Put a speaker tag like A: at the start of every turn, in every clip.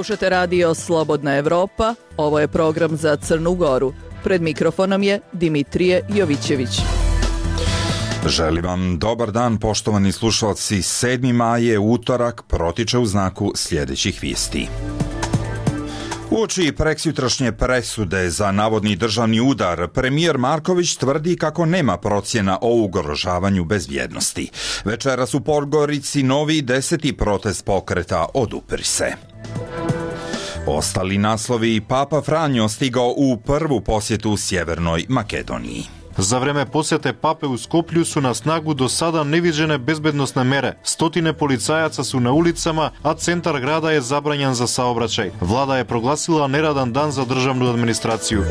A: Slušate radio Slobodna Evropa, ovo je program za Crnu Goru. Pred mikrofonom je Dimitrije Jovićević.
B: Želim vam dobar dan, poštovani slušalci. 7. maj je utorak, protiče u znaku sljedećih vijesti. Uoči preksjutrašnje presude za navodni državni udar, premijer Marković tvrdi kako nema procjena o ugrožavanju bezbjednosti. Večeras u Podgorici novi 10. protest pokreta Odupri se. Ostali naslovi: Papa Franjo stigao u prvu posjetu Sjevernoj Makedoniji.
C: За време посете папе у Скопју су на снагу до сада невиđene безбедносне мере. Стотине полицајаца су на улицама, а центар града е забрањен за саобраќај. Влада е прогласила нерадан дан за државну администрацију.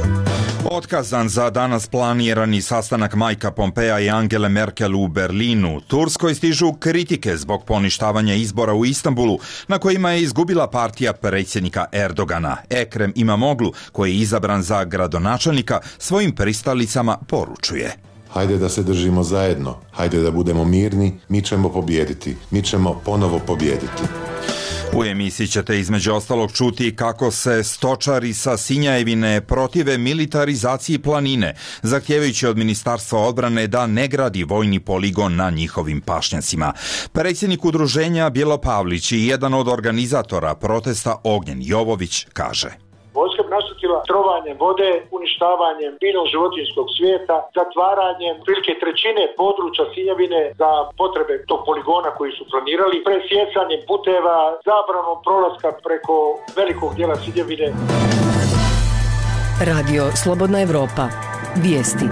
B: Otkazan za danas planirani sastanak Majka Pompeja i Angele Merkel u Berlinu. Turskoj stižu kritike zbog poništavanja izbora u Istanbulu, na kojima je izgubila partija predsjednika Erdogana. Ekrem Imamoglu, koji je izabran za gradonačelnika, svojim pristalicama poručuje:
D: Hajde da se držimo zajedno, hajde da budemo mirni, mi ćemo pobijediti, mi ćemo ponovo pobijediti.
B: U emisiji ćete između ostalog čuti kako se stočari sa Sinjajevine protive militarizaciji planine, zahtijevajući od Ministarstva odbrane da ne gradi vojni poligon na njihovim pašnjacima. Predsjednik udruženja Bjelopavlić i jedan od organizatora protesta Ognjen Jovović kaže:
E: Vojska bi nastupila trovanjem vode, uništavanjem biljnog životinjskog svijeta, zatvaranjem prilike trećine područja Sinjavine za potrebe tog poligona koji su planirali, presjecanjem puteva, zabranom prolaska preko velikog dijela Sinjavine.
A: Radio Slobodna Evropa. Vijesti.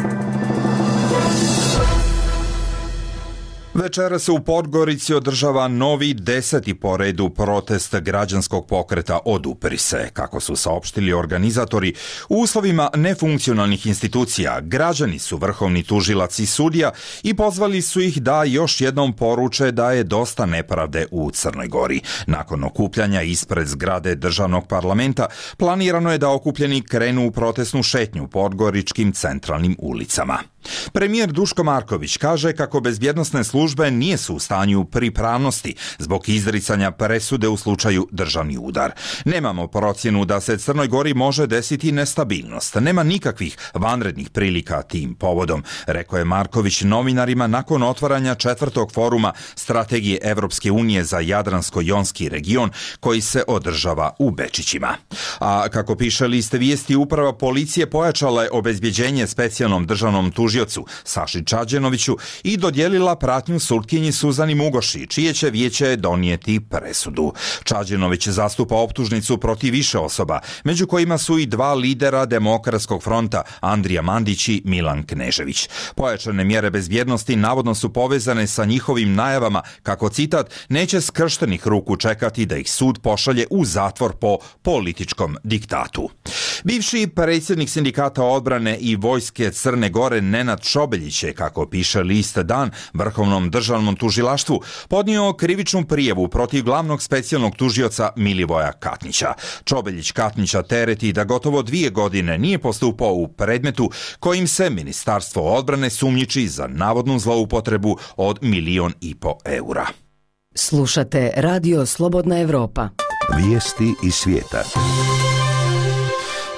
B: Večera se u Podgorici održava novi 10. po redu protest građanskog pokreta Odupri se. Kako su saopštili organizatori, u uslovima nefunkcionalnih institucija građani su vrhovni tužilac i sudija i pozvali su ih da još jednom poruče da je dosta nepravde u Crnoj Gori. Nakon okupljanja ispred zgrade državnog parlamenta planirano je da okupljeni krenu u protestnu šetnju podgoričkim centralnim ulicama. Premijer Duško Marković kaže kako bezbjednosne službe nisu u stanju pripravnosti zbog izricanja presude u slučaju državni udar. Nemamo procjenu da se Crnoj Gori može desiti nestabilnost. Nema nikakvih vanrednih prilika tim povodom, rekao je Marković novinarima nakon otvaranja 4. foruma strategije Evropske unije za Jadransko-jonski region koji se održava u Bečićima. A kako piše list vijesti, uprava policije pojačala je obezbjeđenje specijalnom državnom tužiocu Saši Čađenoviću i dodijelila pratnju sutkinji Suzani Mugoši, čije će vijeće donijeti presudu. Čađenović zastupa optužnicu protiv više osoba, među kojima su i 2 lidera Demokratskog fronta, Andrija Mandić i Milan Knežević. Pojačane mjere bezbjednosti navodno su povezane sa njihovim najavama kako, citat, neće skrštenih ruku čekati da ih sud pošalje u zatvor po političkom diktatu. Bivši predsjednik sindikata odbrane i vojske Crne Gore Nenad Čobeljić je, kako piše list Dan, Vrhovnom državnom tužilaštvu podnio krivičnu prijavu protiv glavnog specijalnog tužioca Milivoja Katnića. Čobeljić Katnića tereti da gotovo 2 godine nije postupao u predmetu kojim se Ministarstvo odbrane sumnjiči za navodnu zloupotrebu od 1,5 miliona eura.
A: Slušate radio Slobodna Evropa.
F: Vijesti iz svijeta.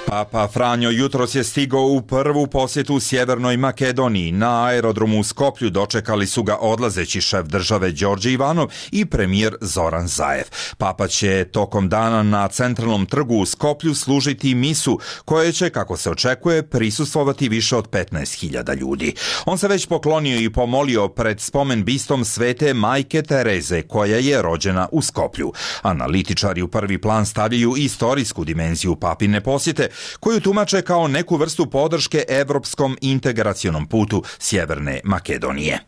B: Papa Franjo jutros je stigao u prvu posjetu Sjevernoj Makedoniji. Na aerodromu u Skoplju dočekali su ga odlazeći šef države Đorđe Ivanov i premijer Zoran Zaev. Papa će tokom dana na centralnom trgu u Skoplju služiti misu, koje će, kako se očekuje, prisustvovati više od 15.000 ljudi. On se već poklonio i pomolio pred spomen bistom Svete Majke Tereze, koja je rođena u Skoplju. Analitičari u prvi plan stavljaju istorijsku dimenziju papine posjete, koju tumače kao neku vrstu podrške evropskom integracionom putu Sjeverne Makedonije.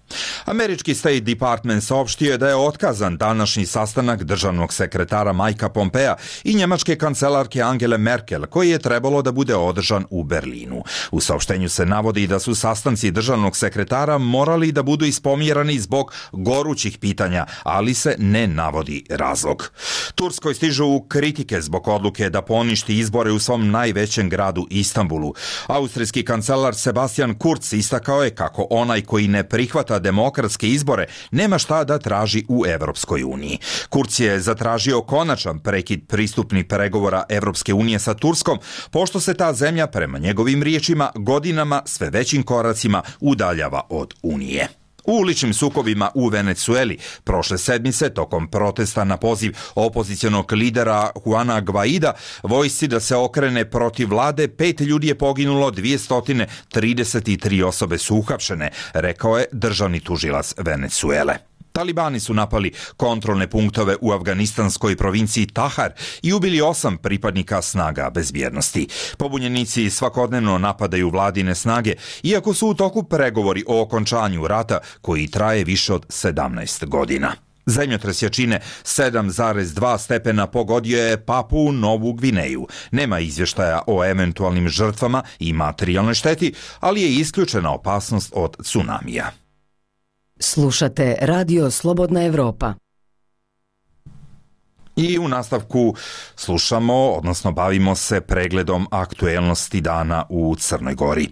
B: Američki State Department saopštio je da je otkazan današnji sastanak državnog sekretara Majka Pompeja i njemačke kancelarke Angele Merkel, koji je trebalo da bude održan u Berlinu. U saopštenju se navodi da su sastanci državnog sekretara morali da budu ispomjerani zbog gorućih pitanja, ali se ne navodi razlog. Turskoj stižu kritike zbog odluke da poništi izbore u svom najvećem najvećem gradu Istanbulu. Austrijski kancelar Sebastian Kurz istakao je kako onaj koji ne prihvata demokratske izbore nema šta da traži u Evropskoj uniji. Kurz je zatražio konačan prekid pristupnih pregovora Evropske unije sa Turskom, pošto se ta zemlja, prema njegovim riječima, godinama sve većim koracima udaljava od Unije. U uličnim sukobima u Venecueli prošle sedmice, tokom protesta na poziv opozicionog lidera Juana Guaida, vojsci da se okrene protiv vlade, 5 ljudi je poginulo, 233 osobe su uhapšene, rekao je državni tužilac Venecuele. Talibani su napali kontrolne punktove u afganistanskoj provinciji Tahar i ubili 8 pripadnika snaga bezbjednosti. Pobunjenici svakodnevno napadaju vladine snage, iako su u toku pregovori o okončanju rata koji traje više od 17 godina. Zemljotres jačine 7,2 stepena pogodio je Papuu Novu Gvineju. Nema izvještaja o eventualnim žrtvama i materijalnoj šteti, ali je isključena opasnost od tsunamija.
G: Slušate Radio Slobodna Evropa.
B: I u nastavku slušamo, odnosno bavimo se pregledom aktuelnosti dana u Crnoj Gori.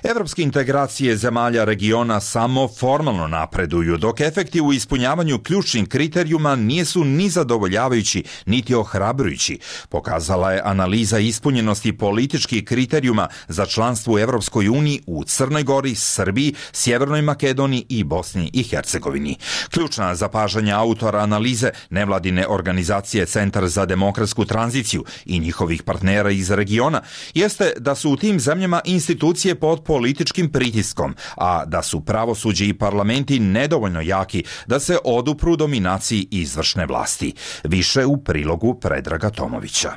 B: Evropske integracije zemalja regiona samo formalno napreduju, dok efekti u ispunjavanju ključnih kriterijuma nisu ni zadovoljavajući, niti ohrabrujući, pokazala je analiza ispunjenosti političkih kriterijuma za članstvo u Evropskoj uniji u Crnoj Gori, Srbiji, Sjevernoj Makedoniji i Bosni i Hercegovini. Ključna zapažanja autora analize, nevladine organizacije Centar za demokratsku tranziciju i njihovih partnera iz regiona, jeste da su u tim zemljama institucije pod političkim pritiskom, a da su pravosuđe i parlamenti nedovoljno jaki da se odupru dominaciji izvršne vlasti. Više u prilogu Predraga Tomovića.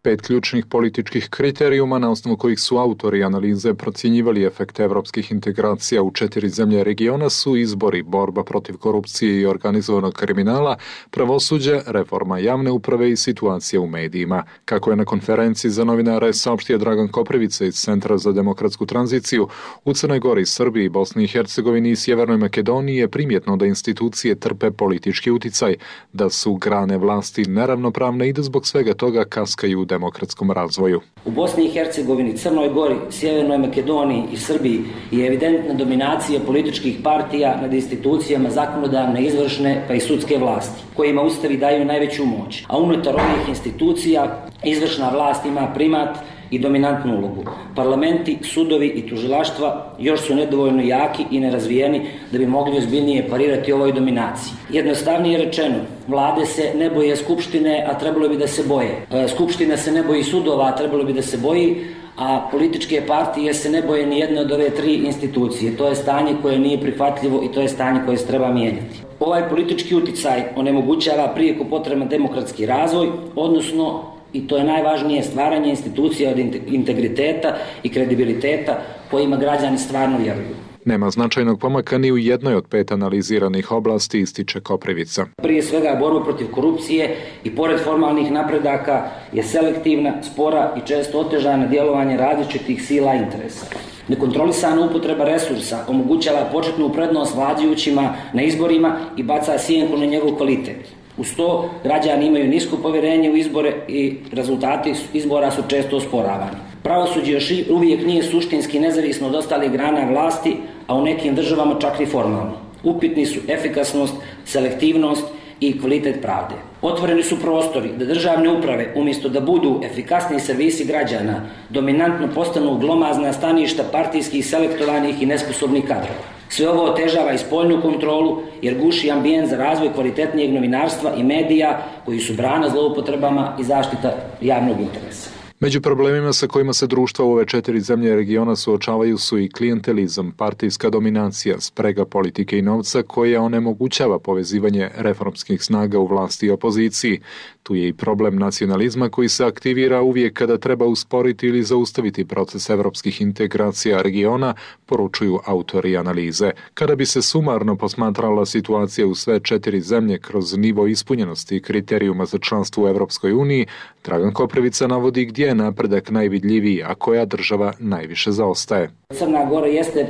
H: 5 ključnih političkih kriterijuma na osnovu kojih su autori analize procjenjivali efekte evropskih integracija u 4 zemlje regiona su izbori, borba protiv korupcije i organizovanog kriminala, pravosuđe, reforma javne uprave i situacija u medijima. Kako je na konferenciji za novinare saopštio Dragan Koprivica iz Centra za demokratsku tranziciju, u Crnoj Gori, Srbiji, Bosni i Hercegovini i Sjevernoj Makedoniji je primjetno da institucije trpe politički uticaj, da su grane vlasti neravnopravne i da zbog svega toga kaskaju u demokratskom razvoju.
I: U Bosni i Hercegovini, Crnoj Gori, Sjevernoj Makedoniji i Srbiji je evidentna dominacija političkih partija nad institucijama zakonodavne, izvršne pa i sudske vlasti, kojima ustavi daju najveću moć. A unutar ovih institucija izvršna vlast ima primat i dominantnu ulogu. Parlamenti, sudovi i tužilaštva još su nedovoljno jaki i nerazvijeni da bi mogli ozbiljnije parirati ovoj dominaciji. Jednostavnije rečeno, vlade se ne boje skupštine, a trebalo bi da se boje. Skupština se ne boji sudova, a trebalo bi da se boji, a političke partije se ne boje ni jedne od ove 3 institucije. To je stanje koje nije prihvatljivo i to je stanje koje se treba mijenjati. Ovaj politički uticaj onemogućava prijeko potreban demokratski razvoj, odnosno, i to je najvažnije, stvaranje institucija od integriteta i kredibiliteta kojima građani stvarno vjeruju.
H: Nema značajnog pomaka ni u jednoj od 5 analiziranih oblasti, ističe Koprivica.
I: Prije svega, borba protiv korupcije i pored formalnih napredaka je selektivna, spora i često otežana djelovanje različitih sila i interesa. Nekontrolisana upotreba resursa omogućava početnu prednost vladajućima na izborima i baca sjenku na njegov kvalitet. Uz to, građani imaju nisko povjerenje u izbore i rezultati izbora su često osporavani. Pravosuđe još uvijek nije suštinski nezavisno od ostalih grana vlasti, a u nekim državama čak i formalno. Upitni su efikasnost, selektivnost i kvalitet pravde. Otvoreni su prostori da državne uprave, umjesto da budu efikasni servisi građana, dominantno postanu glomazna staništa partijskih, selektovanih i nesposobnih kadrova. Sve ovo otežava i spoljnu kontrolu jer guši ambijent za razvoj kvalitetnijeg novinarstva i medija koji su brana zloupotrebama i zaštita javnog interesa.
H: Među problemima sa kojima se društva u ove 4 zemlje regiona suočavaju su i klijentelizam, partijska dominacija, sprega politike i novca koja onemogućava povezivanje reformskih snaga u vlasti i opoziciji. Tu je i problem nacionalizma koji se aktivira uvijek kada treba usporiti ili zaustaviti proces evropskih integracija regiona, poručuju autori analize. Kada bi se sumarno posmatrala situacija u sve 4 zemlje kroz nivo ispunjenosti i kriterijuma za članstvo u Evropskoj uniji, Dragan Koprivica navodi gdje je napredak najvidljiviji, a koja država najviše zaostaje.
I: Crna Gora jeste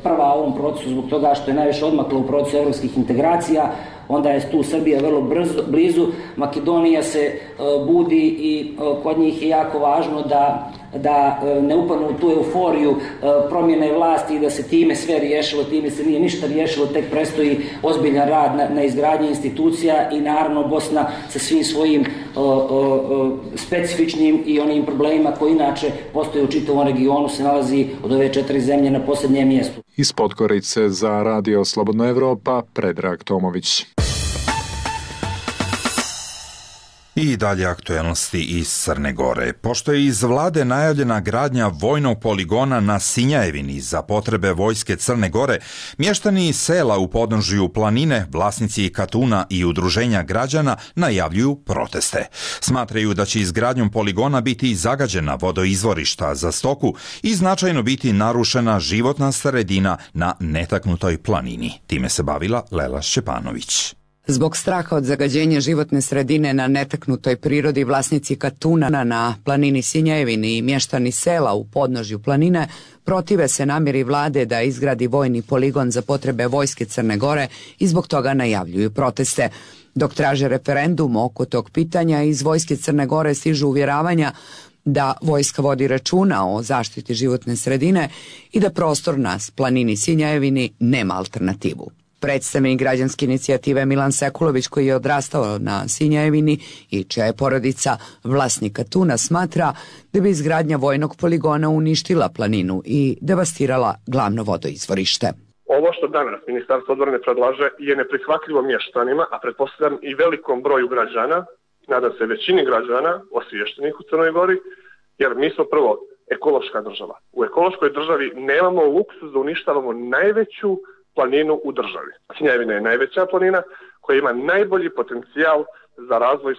I: prva u ovom procesu zbog toga što je najviše odmakla u procesu evropskih integracija. onda je tu Srbija vrlo blizu. Makedonija se budi i kod njih je jako važno da ne upadnu u tu euforiju promjene vlasti i da se time sve riješilo, time se nije ništa riješilo, tek predstoji ozbiljan rad na izgradnji institucija i naravno Bosna sa svim svojim specifičnim i onim problemima koji inače postoje u čitavom regionu se nalazi od ove 4 zemlje na posljednjem mjestu.
H: Iz Podgorice za Radio Slobodna Evropa, Predrag Tomović.
B: I dalje aktuelnosti iz Crne Gore. Pošto je iz vlade najavljena gradnja vojnog poligona na Sinjajevini za potrebe vojske Crne Gore, mještani sela u podnožju planine, vlasnici Katuna i udruženja građana najavljuju proteste. Smatraju da će izgradnjom poligona biti zagađena vodoizvorišta za stoku i značajno biti narušena životna sredina na netaknutoj planini. Time se bavila Lela Šćepanović.
J: Zbog straha od zagađenja životne sredine na netaknutoj prirodi, vlasnici Katuna na planini Sinjajevini i mještani sela u podnožju planine protive se namjeri vlade da izgradi vojni poligon za potrebe vojske Crne Gore i zbog toga najavljuju proteste. Dok traže referendum oko tog pitanja, iz vojske Crne Gore stižu uvjeravanja da vojska vodi računa o zaštiti životne sredine i da prostor na planini Sinjajevini nema alternativu. Predstavnik građanske inicijative Milan Sekulović, koji je odrastao na Sinjajevini i čija je porodica vlasnika Katuna, smatra da bi izgradnja vojnog poligona uništila planinu i devastirala glavno vodoizvorište.
K: Ovo što danas Ministarstvo odbrane predlaže je neprihvatljivo mještanima, a pretpostavljam i velikom broju građana, nadam se većini građana osviještenih u Crnoj Gori, jer mi smo prvo ekološka država. U ekološkoj državi nemamo luksuz da uništavamo najveću planinu u državi. Sinjajevina je najveća planina koja ima najbolji potencijal za razvoj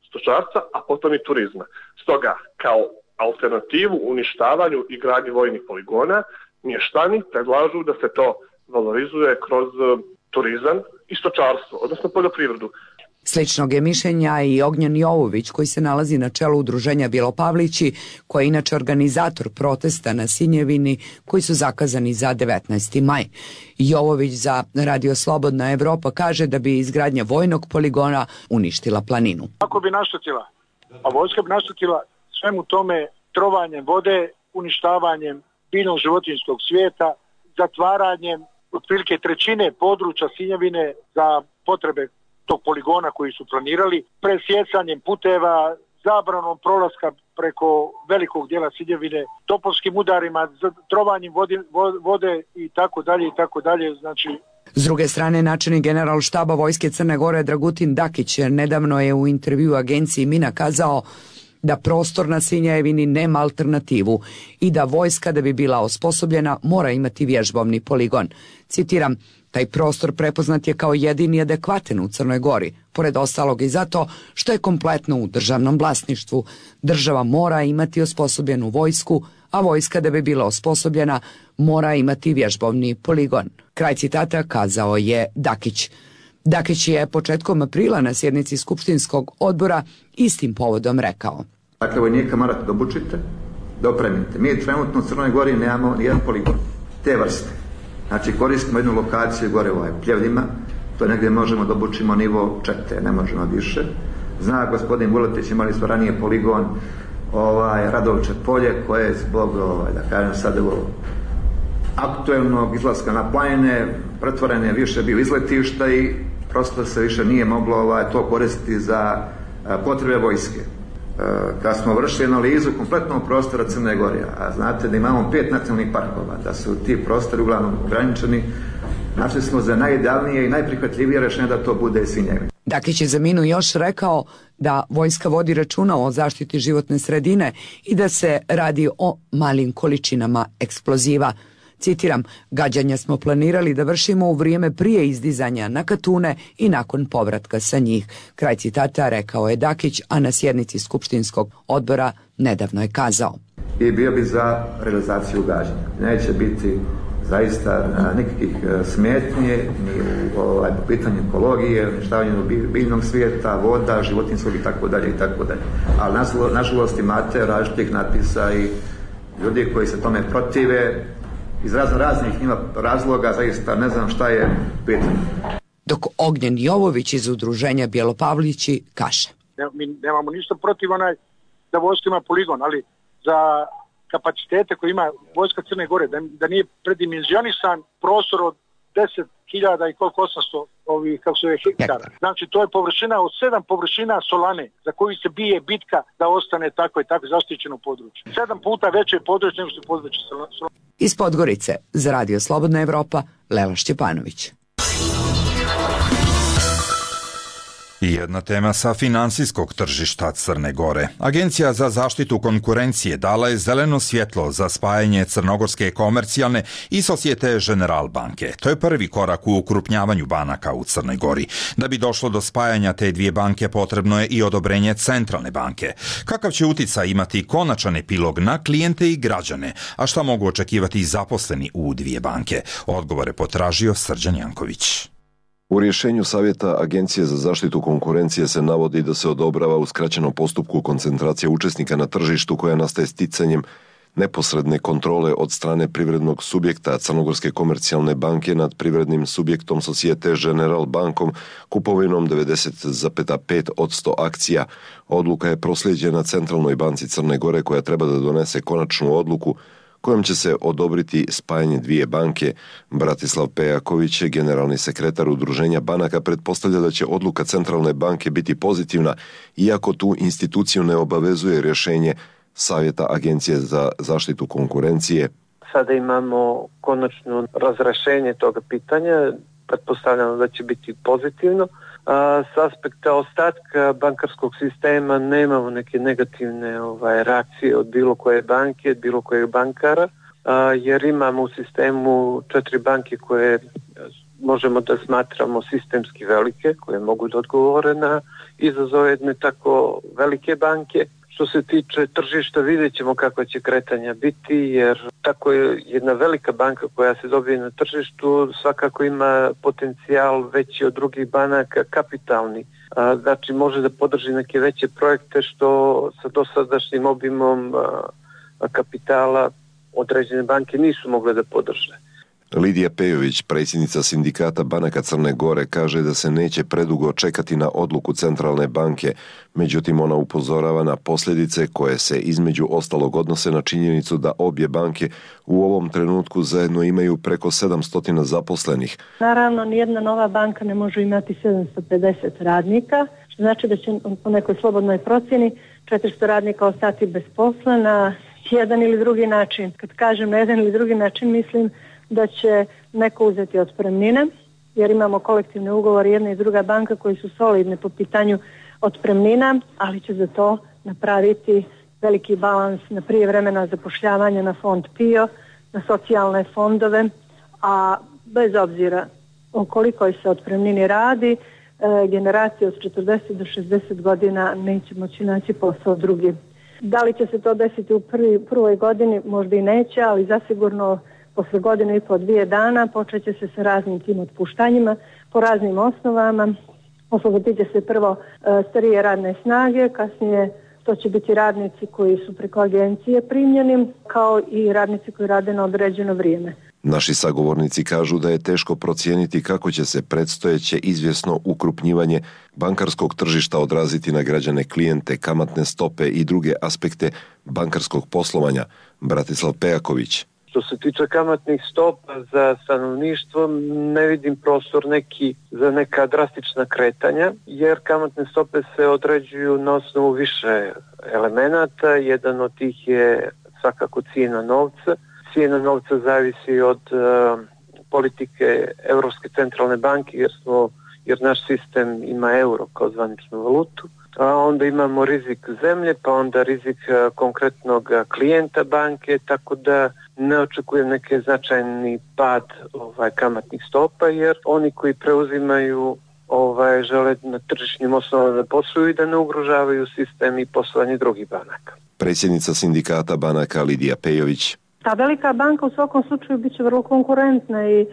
K: stočarstva, a potom i turizma. Stoga, kao alternativu uništavanju i gradnji vojnih poligona, mještani predlažu da se to valorizuje kroz turizam i stočarstvo, odnosno poljoprivredu.
J: Sličnog je mišljenja i Ognjen Jovović, koji se nalazi na čelu udruženja Bjelopavlići, koji je inače organizator protesta na Sinjevini koji su zakazani za 19. maj. Jovović za Radio Slobodna Evropa kaže da bi izgradnja vojnog poligona uništila planinu.
E: Ako bi naštetila, a vojska bi naštetila svemu tome trovanjem vode, uništavanjem biljnog životinjskog svijeta, zatvaranjem otprilike 1/3 područja Sinjevine za potrebe tog poligona koji su planirali, presjecanjem puteva, zabranom prolaska preko velikog dijela Sinjevine, topovskim udarima, trovanjem vode i tako dalje, znači.
J: S druge strane, načelnik general štaba vojske Crne Gore Dragutin Dakić nedavno je u intervju agenciji Mina kazao da prostor na Sinjajevini nema alternativu i da vojska da bi bila osposobljena mora imati vježbovni poligon. Citiram, taj prostor prepoznat je kao jedini adekvatan u Crnoj Gori, pored ostalog i zato što je kompletno u državnom vlasništvu. Država mora imati osposobljenu vojsku, a vojska da bi bila osposobljena mora imati vježbovni poligon. Kraj citata kazao je Dakić. Dakić je početkom aprila na sjednici skupštinskog odbora istim povodom rekao.
L: Dakle, vojnika morate da obučite, da opremite. Mi trenutno u Crnoj Gori nemamo nijedan poligon te vrste. Znači, koristimo jednu lokaciju gore u Pljevljima, to negdje možemo da obučimo nivo 4, ne možemo više. Zna gospodin Vuletić, imali smo ranije poligon Radovče polje, koje je zbog, da kažem sad, aktuelnog izlaska na planine, pretvoren je više bio izletišta i prosto se više nije moglo to koristiti za potrebe vojske. Kad smo vršili analizu kompletnog prostora Crne Gore, a znate da imamo 5 nacionalnih parkova, da su ti prostori uglavnom ograničeni, našli smo za najidealnije i najprihvatljivije rješenje da to bude Sinjevina.
J: Dakić je za Minu još rekao da vojska vodi računa o zaštiti životne sredine i da se radi o malim količinama eksploziva. Citiram, gađanja smo planirali da vršimo u vrijeme prije izdizanja na Katune i nakon povratka sa njih. Kraj citata rekao je Dakić, a na sjednici skupštinskog odbora nedavno je kazao.
L: I bio bi za realizaciju gađanja. Neće biti zaista nikakvih smetnje ni u pitanju ekologije, uništavanju biljnog svijeta, voda, životinjskog itd. Ali nažalost imate različitih natpisa i ljudi koji se tome protive iz raznih razloga, zaista ne znam šta je pitanje.
J: Dok Ognjen Jovović iz udruženja Bjelopavlići kaže.
E: Mi nemamo ništa protiv da vojska ima poligon, ali za kapacitete koje ima vojska Crne Gore, da nije predimenzionisan prostor od 10.000 i koliko 800 hektara. Znači to je površina od 7 površina Solane za koju se bije bitka da ostane tako i tako zaštićeno područje. 7 puta veće područje nego što je područje Solane.
J: Iz Podgorice za Radio Slobodna Evropa, Lela Šćepanović.
B: Jedna tema sa finansijskog tržišta Crne Gore. Agencija za zaštitu konkurencije dala je zeleno svjetlo za spajanje Crnogorske komercijalne i Societe General banke. To je prvi korak u ukrupnjavanju banaka u Crnoj Gori. Da bi došlo do spajanja te dvije banke potrebno je i odobrenje Centralne banke. Kakav će uticaj imati konačan epilog na klijente i građane, a šta mogu očekivati zaposleni u dvije banke? Odgovore potražio Srđan Janković.
M: U rješenju Savjeta Agencije za zaštitu konkurencije se navodi da se odobrava u skraćenom postupku koncentracija učesnika na tržištu koja nastaje sticanjem neposredne kontrole od strane privrednog subjekta Crnogorske komercijalne banke nad privrednim subjektom Societe General bankom kupovinom 90,5% akcija. Odluka je proslijeđena Centralnoj banci Crne Gore koja treba da donese konačnu odluku kojom će se odobriti spajanje dvije banke. Bratislav Pejaković, generalni sekretar Udruženja banaka, pretpostavlja da će odluka Centralne banke biti pozitivna, iako tu instituciju ne obavezuje rješenje Savjeta Agencije za zaštitu konkurencije.
N: Sada imamo konačno razrešenje toga pitanja, pretpostavljamo da će biti pozitivno. S aspekta ostatka bankarskog sistema nemamo neke negativne reakcije od bilo koje banke, bilo kojeg bankara, jer imamo u sistemu 4 banke koje možemo da smatramo sistemski velike, koje mogu da odgovore na izazove jedne tako velike banke. Što se tiče tržišta, vidjet ćemo kako će kretanja biti, jer tako je jedna velika banka koja se dobije na tržištu svakako ima potencijal veći od drugih banaka, kapitalni. Znači može da podrži neke veće projekte što sa dosadašnjim obimom kapitala određene banke nisu mogle da podrže.
M: Lidija Pejović, predsjednica Sindikata banaka Crne Gore, kaže da se neće predugo čekati na odluku Centralne banke, međutim ona upozorava na posljedice koje se između ostalog odnose na činjenicu da obje banke u ovom trenutku zajedno imaju preko 700 zaposlenih.
O: Naravno, nijedna nova banka ne može imati 750 radnika, što znači da će po nekoj slobodnoj procjeni 400 radnika ostati bez posla na jedan ili drugi način. Kad kažem na jedan ili drugi način, mislim da će neko uzeti otpremnine, jer imamo kolektivne ugovore jedna i druga banka koji su solidne po pitanju otpremnina, ali će za to napraviti veliki balans na prijevremena zapošljavanja na fond PIO, na socijalne fondove, a bez obzira o kolikoj se otpremnini radi, generacije od 40 do 60 godina neće moći naći posao drugi. Da li će se to desiti u prvoj godini? Možda i neće, ali zasigurno posle godinu i po 2 dana počet će se sa raznim tim otpuštanjima po raznim osnovama. Oslobodit će se prvo starije radne snage, kasnije to će biti radnici koji su preko agencije primljeni, kao i radnici koji rade na određeno vrijeme.
M: Naši sagovornici kažu da je teško procijeniti kako će se predstojeće izvjesno ukrupnjivanje bankarskog tržišta odraziti na građane, klijente, kamatne stope i druge aspekte bankarskog poslovanja. Bratislav Pejaković.
N: Što se tiče kamatnih stopa za stanovništvo, ne vidim prostor za neka drastična kretanja, jer kamatne stope se određuju na osnovu više elemenata. Jedan od tih je svakako cijena novca. Cijena novca zavisi od politike Europske centralne banke, jer naš sistem ima euro kao zvaničnu valutu. A onda imamo rizik zemlje, pa onda rizik konkretnog klijenta banke, tako da ne očekujem neki značajni pad kamatnih stopa, jer oni koji preuzimaju žele na tržišnim osnovama da posluju i da ne ugrožavaju sistem i poslovanje drugih banaka.
M: Predsjednica Sindikata banaka Lidija Pejović.
O: Ta velika banka u svakom slučaju bit će vrlo konkurentna i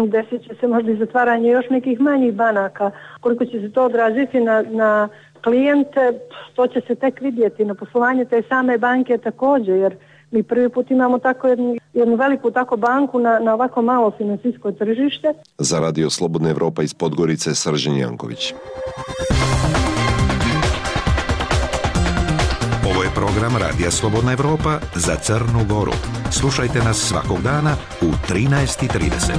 O: desit će se možda i zatvaranje još nekih manjih banaka. Koliko će se to odraziti na klijente, to će se tek vidjeti. Na poslovanje te same banke također, jer Mi prvi put imamo tako jednu veliku tako banku na ovako malo finansijsko tržište.
M: Za Radio Slobodna Evropa iz Podgorice, Srđan Janković.
F: Ovo je program Radija Slobodna Evropa za Crnu Goru. Slušajte nas svakog dana u 13:30.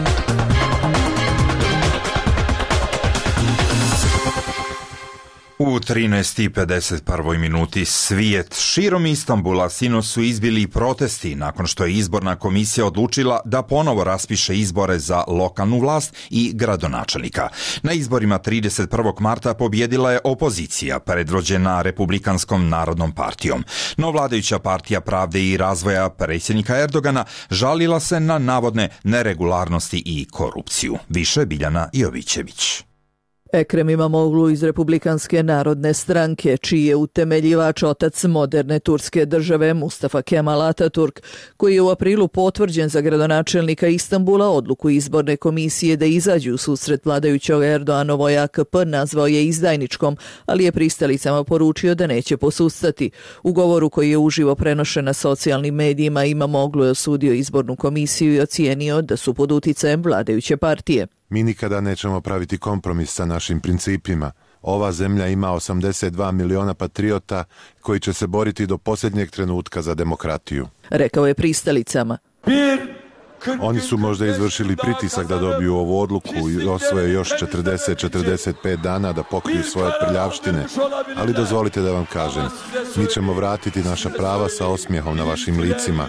B: U 13:51 minuti svijet širom Istanbula sinoć su izbili protesti nakon što je izborna komisija odlučila da ponovo raspiše izbore za lokalnu vlast i gradonačelnika. Na izborima 31. marta pobjedila je opozicija predvođena Republikanskom narodnom partijom. No vladajuća partija Pravde i razvoja predsjednika Erdogana žalila se na navodne neregularnosti i korupciju. Više Biljana Jovićević.
A: Ekrem Imamoglu iz Republikanske narodne stranke, čiji je utemeljivač otac moderne turske države Mustafa Kemal Ataturk, koji je u aprilu potvrđen za gradonačelnika Istanbula, odluku izborne komisije da izađu u susret vladajućog Erdoganovoj AKP nazvao je izdajničkom, ali je pristalicama poručio da neće posustati. U govoru koji je uživo prenošen na socijalnim medijima, Imamoglu je osudio izbornu komisiju i ocijenio da su pod uticajem vladajuće partije.
D: Mi nikada nećemo praviti kompromis sa našim principima. Ova zemlja ima 82 miliona patriota koji će se boriti do posljednjeg trenutka za demokratiju.
A: Rekao je pristalicama.
D: Oni su možda izvršili pritisak da dobiju ovu odluku i osvoje još 40-45 dana da pokriju svoje prljavštine, ali dozvolite da vam kažem, mi ćemo vratiti naša prava sa osmijehom na vašim licima.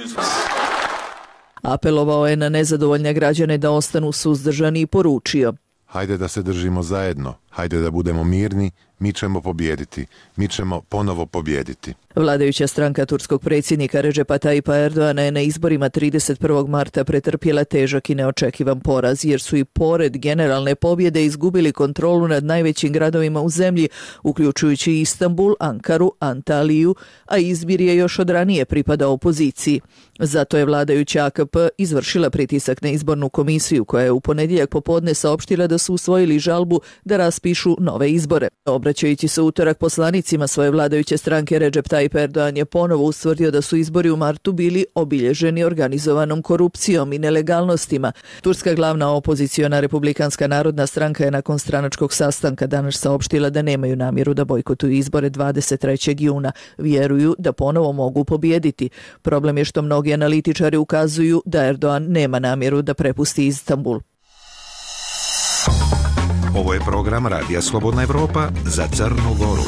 A: Apelovao je na nezadovoljne građane da ostanu suzdržani i poručio:
D: hajde da se držimo zajedno, hajde da budemo mirni, mi ćemo pobijediti, mi ćemo ponovo pobijediti.
A: Vladajuća stranka turskog predsjednika Redžepa Tajipa Erdogana je na izborima 31. marta pretrpjela težak i neočekivan poraz, jer su i pored generalne pobjede izgubili kontrolu nad najvećim gradovima u zemlji, uključujući Istanbul, Ankaru, Antaliju, a izbir je još od ranije pripadao opoziciji. Zato je vladajuća AKP izvršila pritisak na izbornu komisiju, koja je u ponedjeljak popodne saopštila da su usvojili žalbu da raspišu nove izbore. Obraćajući se utorak poslanicima svoje vladajuće stranke, Redžep Tayyip Erdogan je ponovo ustvrdio da su izbori u martu bili obilježeni organizovanom korupcijom i nelegalnostima. Turska glavna opoziciona Republikanska narodna stranka je nakon stranačkog sastanka danas saopštila da nemaju namjeru da bojkotuju izbore 23. juna. Vjeruju da ponovo mogu pobijediti. Problem je što mnogi analitičari ukazuju da Erdogan nema namjeru da prepusti Istanbul.
F: Ovo je program Radija Slobodna Evropa za Crnu Goru.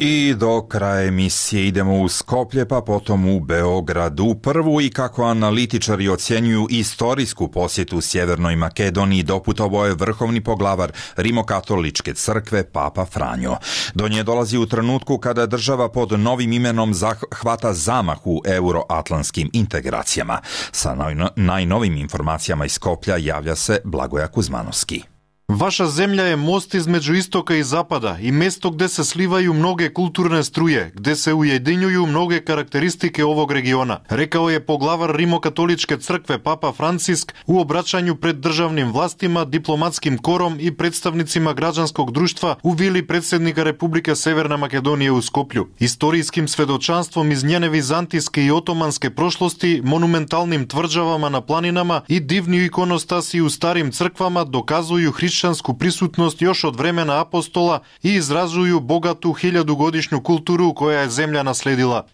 B: I do kraja emisije idemo u Skoplje, pa potom u Beogradu. Prvu i kako analitičari ocjenjuju istorijsku posjetu Sjevernoj Makedoniji doputovao je vrhovni poglavar Rimokatoličke crkve Papa Franjo. Do nje dolazi u trenutku kada država pod novim imenom hvata zamah u euroatlantskim integracijama. Sa najnovim informacijama iz Skoplja javlja se Blagoja Kuzmanovski.
C: Vaša zemlja je most između istoka i zapada i mjesto gdje se slivaju mnoge kulturne struje, gdje se ujedinjuju mnoge karakteristike ovog regiona, rekao je poglavar Rimokatoličke crkve Papa Francisk u obraćanju pred državnim vlastima, diplomatskim korom i predstavnicima građanskog društva u vili predsjednika Republike Severna Makedonije u Skoplju. Istorijskim svedočanstvom iz njene vizantijske i otomanske prošlosti, monumentalnim tvrđavama na planinama i divni ikonostasi u starim crkvama dokazuju hrišćansku prisutnost još od vremena apostola i izrazuju bogatu 1000-godišnju kulturu koja je zemlja nasledila.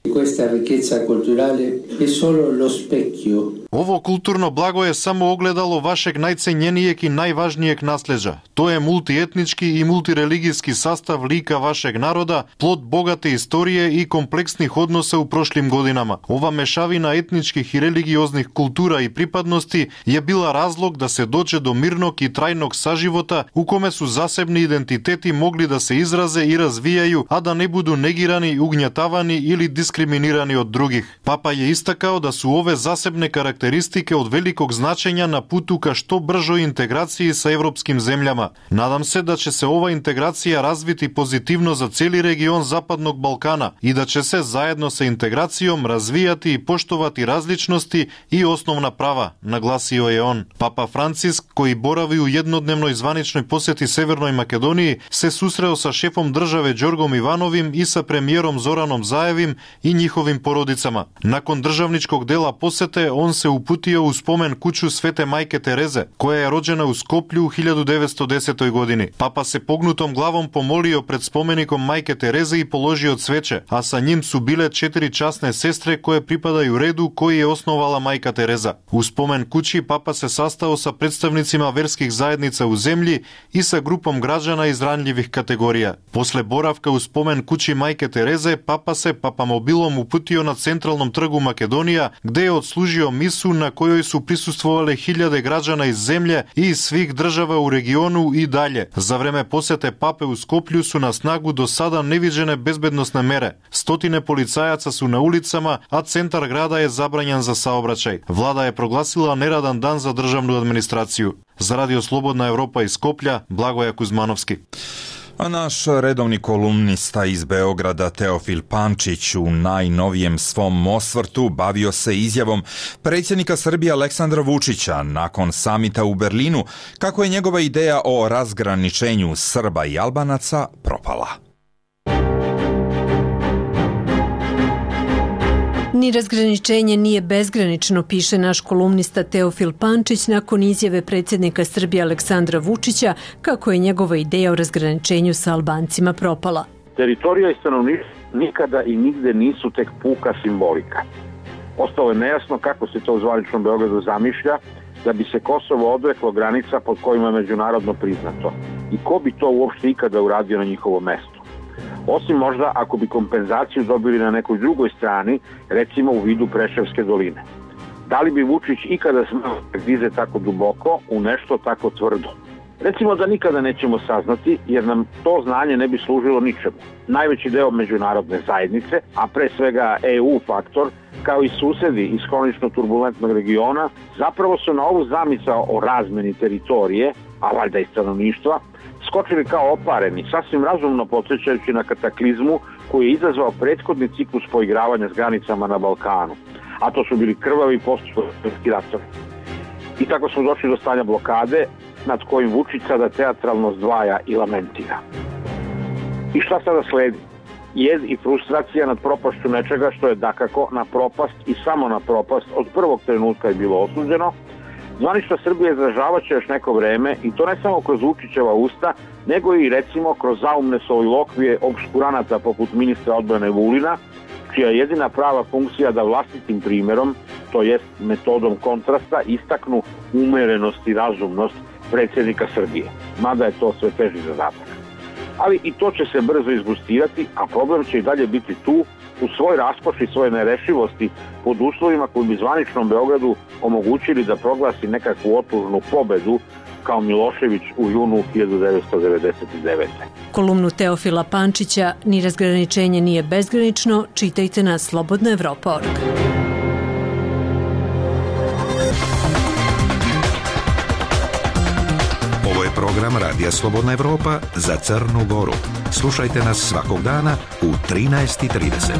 C: Ovo kulturno blago je samo ogledalo vašeg najcenjenijeg i najvažnijeg nasljeđa. To je multietnički i multireligijski sastav lika vašeg naroda, plod bogate istorije i kompleksnih odnosa u prošlim godinama. Ova mešavina etničkih i religioznih kultura i pripadnosti je bila razlog da se dođe do mirnog i trajnog saživota u kome su zasebni identiteti mogli da se izraze i razvijaju, a da ne budu negirani, ugnjetavani ili diskriminirani diskриминирани од других. Папа je истакал да су ове засебне карактеристики од великог значења на путу ка што бржо интеграција со европским земјама. Надам се да ќе се ова интеграција развити позитивно за цели регион Западnog Балкана и да ќе се заедно со интеграцијом развијати и поштовати различности и основна права, нагласио е он. Папа Франциск, кој борави у еднодневној званичној посети Северној Македонија, се susreo sa шефом државе Ѓоргом Ивановим и sa премиером Зораном Заевим и нjihovim поrodicama. Nakon državničkog dela posete, on se uputio u spomen kuću Svete Majke Tereze, koja je rođena u Skoplju u 1910. godini. Papa se pognutom glavom pomolio pred spomenikom Majke Tereze i položio cveće, a sa njim su bile 4 časne sestre koje pripadaju redu koji je osnovala Majka Tereza. U spomen kući Papa se sastao sa predstavnicima verskih zajednica u zemlji i sa grupom građana iz ranljivih kategorija. Posle boravka u spomen kući Majke Tereze, Papa se papamobilom uputio na centralnom trgu Makedonija, gde je odslužio misu na kojoj su prisustvovale hiljade građana iz zemlje i iz svih država u regionu i dalje. Za vreme posete Pape u Skoplju su na snagu do sada neviđene bezbednosne mere. Stotine policajaca su na ulicama, a centar grada je zabranjen za saobraćaj. Vlada je proglasila neradan dan za državnu administraciju. Za Radio Slobodna Evropa iz Skoplja, Blagoja Kuzmanovski.
B: A naš redovni kolumnista iz Beograda Teofil Pančić u najnovijem svom osvrtu bavio se izjavom predsjednika Srbije Aleksandra Vučića nakon samita u Berlinu kako je njegova ideja o razgraničenju Srba i Albanaca propala.
P: Ni razgraničenje nije bezgranično, piše naš kolumnista Teofil Pančić nakon izjave predsjednika Srbije Aleksandra Vučića kako je njegova ideja o razgraničenju sa Albancima propala.
Q: Teritorija i stanovništvo nikada i nigde nisu tek puka simbolika. Ostalo je nejasno kako se to u zvaničnom Beogradu zamišlja da bi se Kosovo odreklo granica pod kojima je međunarodno priznato. I ko bi to uopšte ikada uradio na njihovo mesto? Osim možda ako bi kompenzaciju dobili na nekoj drugoj strani, recimo u vidu Preševske doline. Da li bi Vučić ikada smeo da grize tako duboko u nešto tako tvrdo? Recimo da nikada nećemo saznati, jer nam to znanje ne bi služilo ničemu. Najveći deo međunarodne zajednice, a pre svega EU faktor, kao i susedi iz hronično turbulentnog regiona, zapravo su na ovu zamisao o razmeni teritorije, a valjda i stanovništva, skočili kao opareni, sasvim razumno podsjećajući na kataklizmu koji je izazvao prethodni ciklus poigravanja s granicama na Balkanu, a to su bili krvavi postupki ratovi. I tako smo došli do stanja blokade nad kojim Vučić sada teatralno zdvaja i lamentira. I šta sada sledi? Jez i frustracija nad propašću nečega što je dakako na propast i samo na propast od prvog trenutka je bilo osuđeno. Zvanična Srbija izražavat će još neko vreme i to ne samo kroz Vučićeva usta, nego i recimo kroz zaumne solilokvije obškuranata poput ministra odbrane Vulina, čija je jedina prava funkcija da vlastitim primjerom, to jest metodom kontrasta, istaknu umerenost i razumnost predsjednika Srbije. Mada je to sve teži zadatak. Ali i to će se brzo izgustirati, a problem će i dalje biti tu, u svoj raskoši, svoje nerešivosti, pod uslovima koji bi zvaničnom Beogradu omogućili da proglasi nekakvu otužnu pobedu kao Milošević u junu 1999.
P: Kolumnu Teofila Pančića Ni razgraničenje nije bezgranično čitajte na slobodnaevropa.org.
F: Ovo je program Radija Slobodna Evropa za Crnu Goru. Slušajte nas svakog dana u 13:30.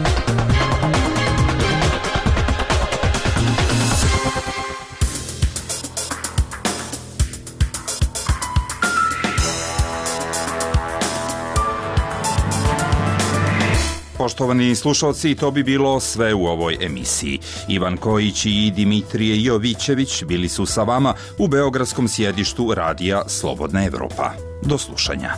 B: Poštovani slušalci, to bi bilo sve u ovoj emisiji. Ivan Kojić i Dimitrije Jovićević bili su sa vama u beogradskom sjedištu Radija Slobodna Evropa. Do slušanja.